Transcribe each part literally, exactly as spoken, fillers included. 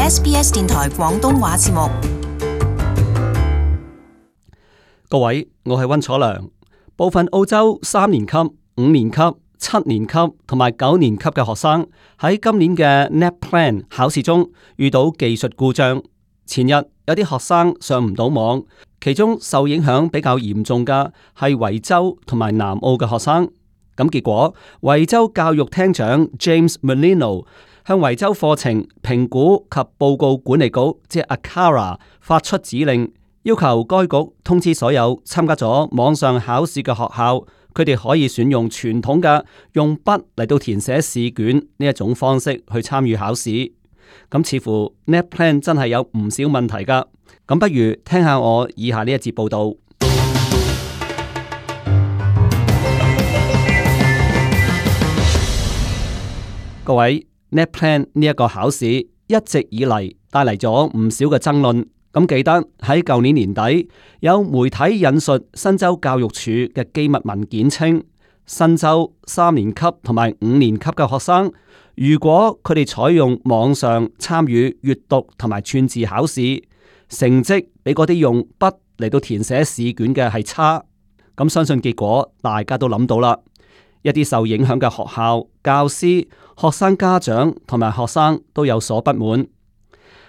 S B S 電台廣東話節目。各位，我係溫楚良。部分澳洲三年級、五年級、七年級同埋九年級嘅學生喺今年嘅 NAPLAN 考試中遇到技術故障。前日有啲學生上唔到網，其中受影響比較嚴重嘅係維州同埋南澳嘅學生。咁結果，維州教育廳長 James Merlino 向維州課程評估及報告管理局，即係 A C A R A 發出指令，要求該局通知所有參加咗網上考試嘅學校，佢哋可以選用傳統嘅用筆嚟到填寫試卷呢一種方式去參與考試。咁似乎 NAPLAN 真係有唔少問題噶。咁不如聽下我以下呢一節報道。各位，NAPLAN 呢一個考試一直以嚟帶嚟咗唔少嘅爭論。咁記得喺舊年年底，有媒體引述新州教育署嘅機密文件稱，新州三年級同埋五年級嘅學生，如果佢哋採用網上參與閱讀同埋串字考試，成績比嗰啲用筆嚟到填寫試卷嘅係差。咁相信結果大家都諗到啦。一啲受影響嘅學校、教師、學生家長同埋學生都有所不滿。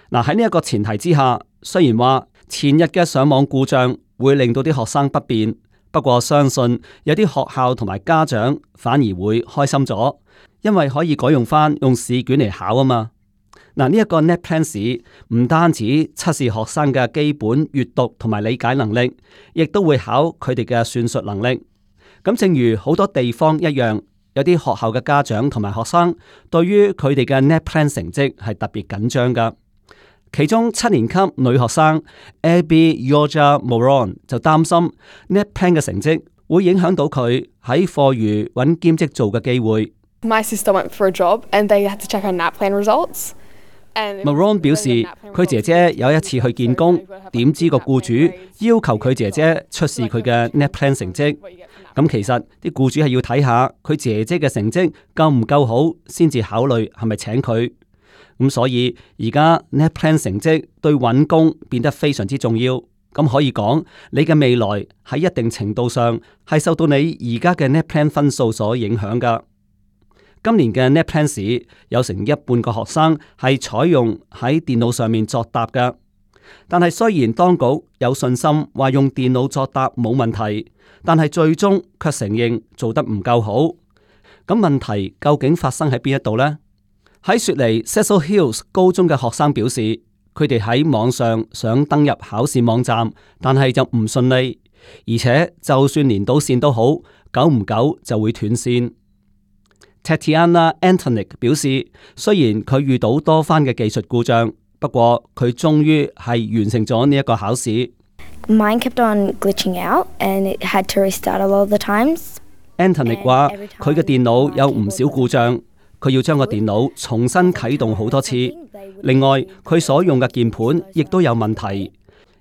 嗱，喺呢一個前提之下，雖然話前日嘅上網故障會令到啲學生不便，不過相信有啲學校同埋家長反而會開心咗，因為可以改用翻用試卷嚟考啊嘛。嗱，呢一個 NAPLAN 試唔單止測試學生嘅基本閱讀同埋理解能力，亦都會考佢哋嘅算術能力。咁正如好多地方一樣，有啲學校嘅家長同埋學生對於佢哋嘅 NAPLAN 成績係特別緊張噶。其中七年級女學生 Abby Yorja Moron 就擔心 NAPLAN 嘅成績會影響到佢喺課餘揾兼職做嘅機會。My sister went for a job and they had to check her NAPLAN results. Moron 表示，佢姐姐有一次去見工，點知個僱主要求佢姐姐出示佢嘅 NAPLAN 成績。咁其實啲僱主係要睇下佢姐姐嘅成績夠唔夠好，先至考慮係咪請佢。咁所以而家 NAPLAN 成績對揾工變得非常之重要。咁可以講，你嘅未來喺一定程度上係受到你而家嘅 NAPLAN 分數所影響噶。今年嘅 NAPLAN 試有成一半個學生係採用喺電腦上面作答噶。但係雖然當局有信心話用電腦作答冇問題，但係最終卻承認做得唔夠好。咁問題究竟發生喺邊一度呢？喺雪梨 Cecil Hills 高中嘅學生表示，佢哋喺網上想登入考試網站，但係就唔順利，而且就算連到線都好，久唔久就會斷線。Tatiana Antonic 表示，雖然佢遇到多番嘅技術故障，不過佢終於係完成咗呢一個考試。Mine kept on glitching out and it had to restart a lot of the times. Antonic 話佢嘅電腦有唔少故障，佢要將個電腦重新啟動好多次。另外，佢所用嘅鍵盤亦都有問題，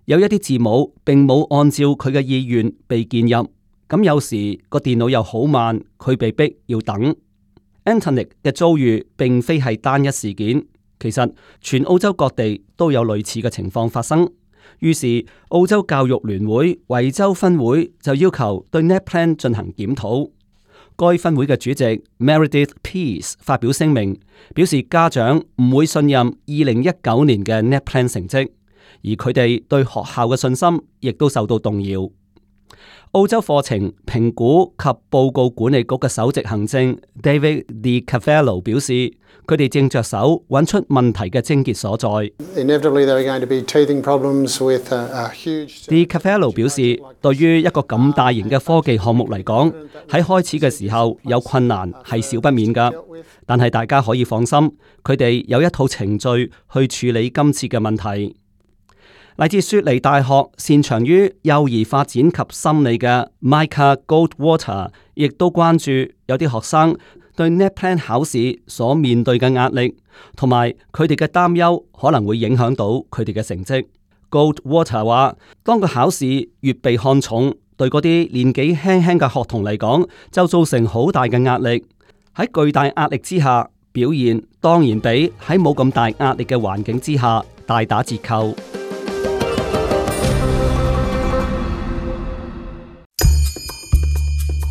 有一啲字母並冇按照佢嘅意願被鍵入，咁有時個電腦又好慢，佢被逼要等。Antonic 嘅遭遇並非係單一事件，其實全澳洲各地都有類似嘅情況發生。於是澳洲教育聯會維州分會就要求對 NAPLAN 進行檢討。該分會嘅主席 Meredith Peace 發表聲明，表示家長唔會信任二零一九年嘅 NAPLAN 成績，而佢哋對學校嘅信心亦都受到動搖。澳洲課程評估及報告管理局嘅首席行政 David De Cavallo 表示，佢哋正着手揾出問題嘅症結所在。De Cavallo 表示，對於一個咁大型嘅科技項目嚟講，喺開始嘅時候有困難係少不免㗎，但係大家可以放心，佢哋有一套程序去處理今次嘅問題。嚟自雪梨大學擅長於幼兒發展及心理嘅 Micah Goldwater 亦都關注有啲學生對 NAPLAN 考試所面對嘅壓力，同埋佢哋嘅擔憂可能會影響到佢哋嘅成績。Goldwater 話，當個考試越被看重，對嗰啲年紀輕輕嘅學童嚟講，就造成好大嘅壓力。喺巨大壓力之下，表現當然比喺冇咁大壓力嘅環境之下大打折扣。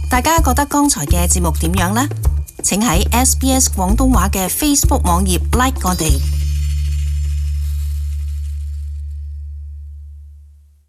大家覺得剛才嘅節目點樣呢？請喺 S B S 廣東話嘅 Facebook 網頁 like 我哋。